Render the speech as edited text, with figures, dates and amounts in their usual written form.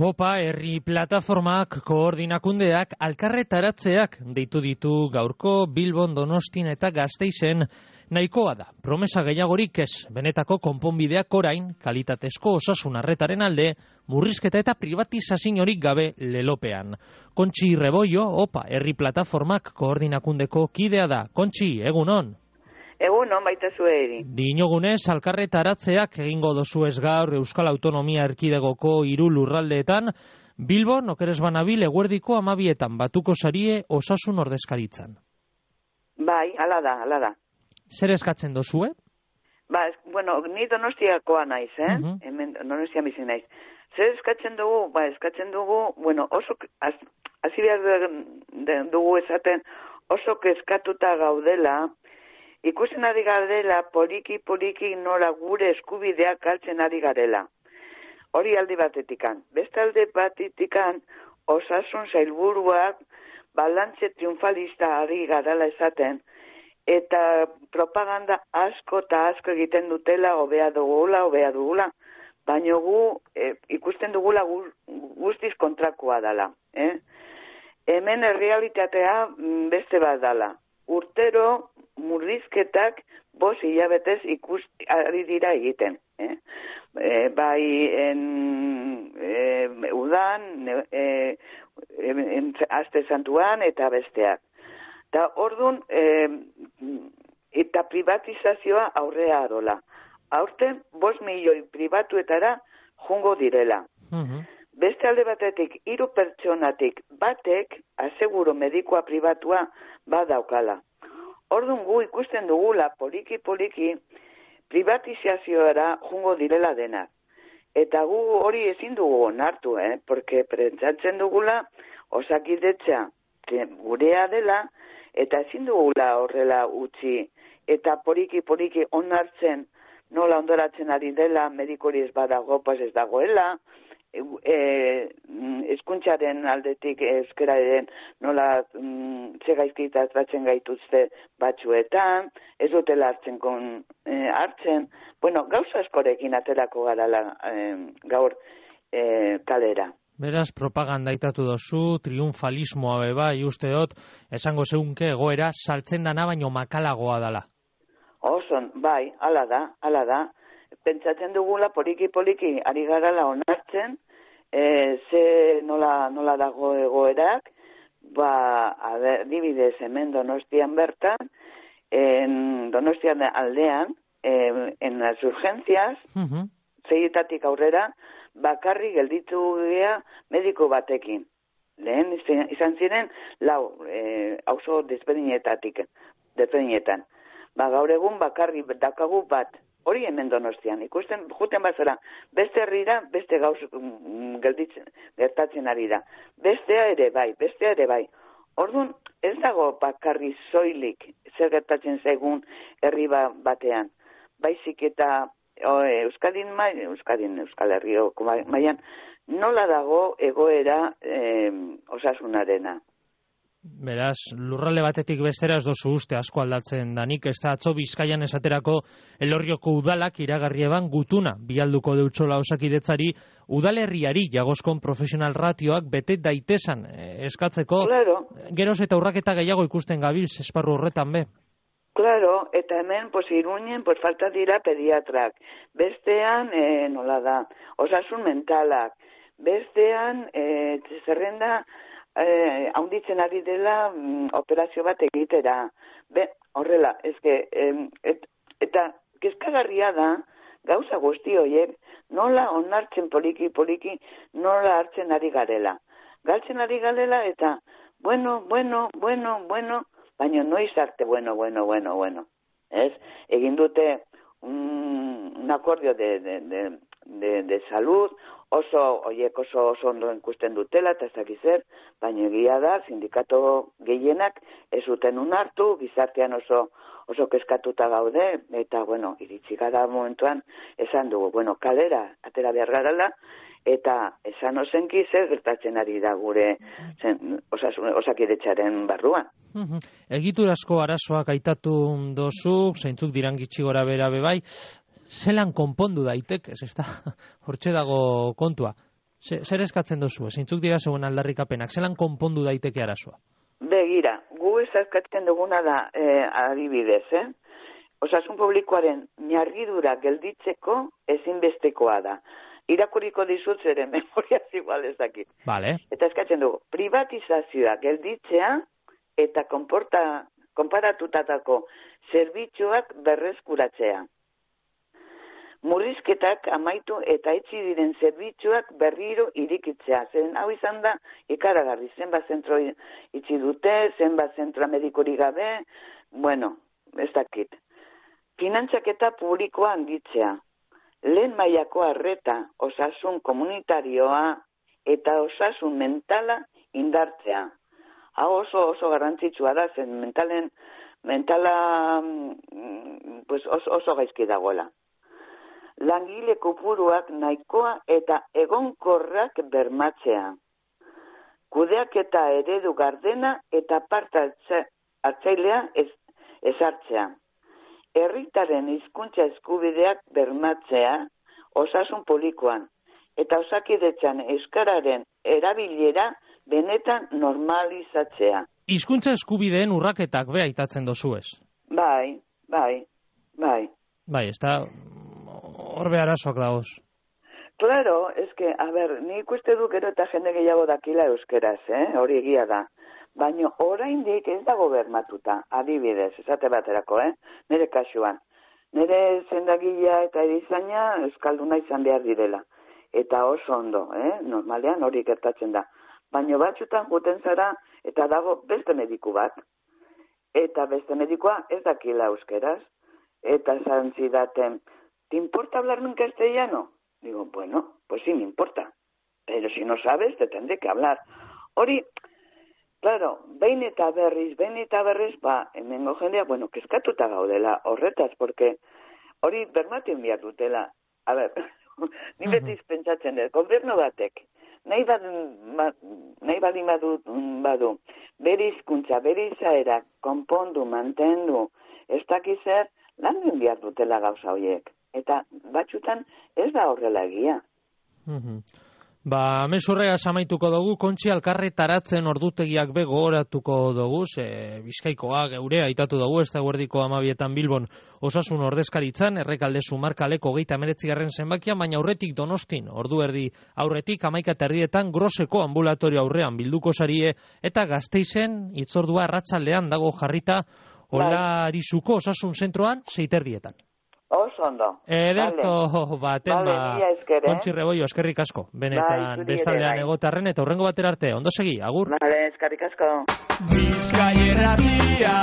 Opa, herri plataformak, koordinakundeak, alkarretaratzeak deitu ditu gaurko Bilbon, Donostin eta Gasteizen. Nahikoa da, promesa gehiagorik ez, benetako konponbideak orain, kalitatezko osasun arretaren alde, murrizketa eta privatizaziorik gabe lelopean. Kontxi Rebollo, Opa, herri plataformak koordinakundeko kidea da. Kontxi, egunon? Egunon, baita zueri. Dinogunez, alkarretaratzeak egingo dozuez gaur Euskal Autonomia Erkidegoko 3 lurraldeetan, Bilbon, okeres banabil, eguerdiko 12etan batuko sarie osasun ordezkaritzan. Bai, ala da. Zer eskatzen dozue? Ni Donostiakoa naiz, Hemen Donostia bizi naiz. Zer eskatzen dugu? Eskatzen dugu, oso, hasi behar dugu esaten, oso kezkatuta gaudela, ikusten ari garela, poliki nola gure eskubideak galtzen ari garela. Hori aldi batetikan. Beste alde batetikan, osasun zailburuak balantze triunfalista ari garela esaten, eta propaganda asko eta asko egiten dutela, hobea dugula, baina gu ikusten dugula guztiz kontrakoa dela. Hemen errealitatea beste bat dela. Urtero murrizketak 5 hilabetez ari dira egiten. Bai udan, aste santuan eta besteak. Eta orduan, eta privatizazioa aurrea adola. Aurten 5 milioi pribatuetara jungo direla. Beste alde batetik, 3 pertsonatik batek, aseguro medikoa pribatua badaukala. Orduan gu ikusten dugula, poliki, privatizazioara jungo direla denak. Eta gu hori ezin dugu onartu, porque pentsatzen dugula Osakidetza gurea dela, eta ezin dugula horrela utzi. Eta poliki onartzen nola ondoratzen ari dela, medikori ez badago, ez dagoela, hezkuntzaren aldetik euskararen nola txegaizkita tratzen gaituzte batzuetan, ez dutela hartzen, gauza askorekin aterako garala gaur kalera. Beraz, propaganda itatu dozu, triunfalismoa beba, usteot, esango zeunke egoera saltzen dana baino makalagoa dala. Oson, bai, ala da. Pentsatzen dugula poliki ari garala onartzen, nola dago egoerak, adibidez hemen Donostian bertan, Donostian aldean, en las urgencias, 6etatik aurrera, bakarrik gelditu gea mediko batekin. Lehen izan ziren 4 auzo desberdinetan. Gaur egun bakarrik dakagu bat. Hori hemen Donostian, ikusten juten bazara, beste herrira, beste gauz gertatzen ari da. Bestea ere bai. Orduan, ez dago bakarri soilik zer gertatzen zaigun herri batean. Baizik eta Euskal Herrioko mailan nola dago egoera osasunarena. Beraz, lurralde batetik bestera ez dozu uste asko aldatzen danik, ez da atzo Bizkaian esaterako Elorrioko udalak iragarri eban gutuna bialduko deutsola Osakidetzari udalerriari jagozkon profesional ratioak bete daitezan eskatzeko, claro. Geroz eta urraketa gehiago ikusten gabilz esparru horretan be. Claro, eta hemen, Iruñen, falta dira pediatrak, bestean, nola da, osasun mentalak, bestean, zerrenda, haunditzen ari dela operazio bat egitera. Horrela, eta kezkagarria da, gauza guzti horiek, nola onartzen poliki, nola hartzen ari garela. Galtzen ari garela eta, bueno, baina noiz arte, bueno. Ez? Egin dute un akordio de salud, oso ondo ikusten dutela, eta ez dakiz zer, baina egia da, sindikato gehienak ez zuten unartu, gizartean oso kezkatuta gaude, eta, iritsi gara momentuan, esan dugu, kalera, atera behar garala, eta esan ozenki zer gertatzen ari da gure Osakidetzaren barruan. Egiturazko arazoak aitatu dozu, zeintzuk diran gitxi gora bera bebai, zelan konpondu daitek, ez da, hortxe dago kontua. Zer eskatzen duzu? Zeintzuk dira zeuen aldarrikapenak? Zelan konpondu daiteke arazoa? Begira, gu eskatzen duguna da adibidez, osasun publikoaren miargidura gelditzeko ezinbestekoa da. Irakurriko dizut zeren memoriaz igual ez dakit. Vale. Eta eskatzen dugu, privatizazioa gelditzea eta konparatutatako zerbitzuak berreskuratzea. Murrizketak amaitu eta itxi diren zerbitzuak berriro irikitzea. Zen hau izan da ikaragarri, zenbat zentro itxi dute, zenbat zentroa medikorik gabe, bueno, ez dakit. Finantzaketa publikoa handitzea. Lehen mailako arreta, osasun komunitarioa eta osasun mentala indartzea. Hau oso garrantzitsua da, zen mentala pues oso gaizki dagoela. Langile kopuruak nahikoa eta egonkorrak bermatzea. Kudeaketa eredu gardena eta parte hartzailea ezartzea. Herritaren hizkuntza eskubideak bermatzea osasun publikoan eta Osakidetzan euskararen erabilera benetan normalizatzea. Hizkuntza eskubideen urraketak be aitatzen dozuez. Bai. Bai, ez da horbe arazoak dagoz. Claro, nik uste du gero eta jende gehiago dakila euskeraz, hori egia da. Baina oraindik ez dago bermatuta, adibidez, esate baterako, nire kasuan. Nire zendagilea eta erizaina euskalduna izan behar direla. Eta oso ondo, normalean hori gertatzen da. Baina batzutan juten zara eta dago beste mediku bat. Eta beste medikoa ez dakila euskeraz. Eta esan zidaten, ¿te importa hablarme en castellano? Digo, bueno, pues sí me importa. Pero si no sabes, te tendré que hablar. Hori, claro, behin eta berriz, hemengo jendea, bueno, kezkatuta gaudela horretaz, porque hori bermatzen behar dutela. A ver, ni beti pentsatzen dut, gobernu batek, nahi baldin badu, bere hizkuntza, bere izaera, konpondu, mantendu, ez dakiz zer, lan behar dutela gauza horiek. Eta batzutan ez da horrela egia. Mesurrea amaituko dugu, Kontxi Alkarretaratzen ordutegiak be gogoratuko dugu, Bizkaikoa geure aitatu dugu, ez da guerdiko 12 Bilbon osasun ordezkaritzan, Errekalde Zumarkaleko 19. zenbakia, baina aurretik Donostin, ordu erdi aurretik 11:30 Groseko ambulatorio aurrean bilduko sarie, eta Gasteizen hitzordua arratsaldean dago jarrita Olarizuko osasun zentroan 6:30. Oso ondo. Ederto baten Kontxi Rebollo, eskerrik asko. Benetan bestaldean egotarren eta hurrengo batera arte. Ondo segi, agur. Vale, eskerrik asko. Bizkai Erratia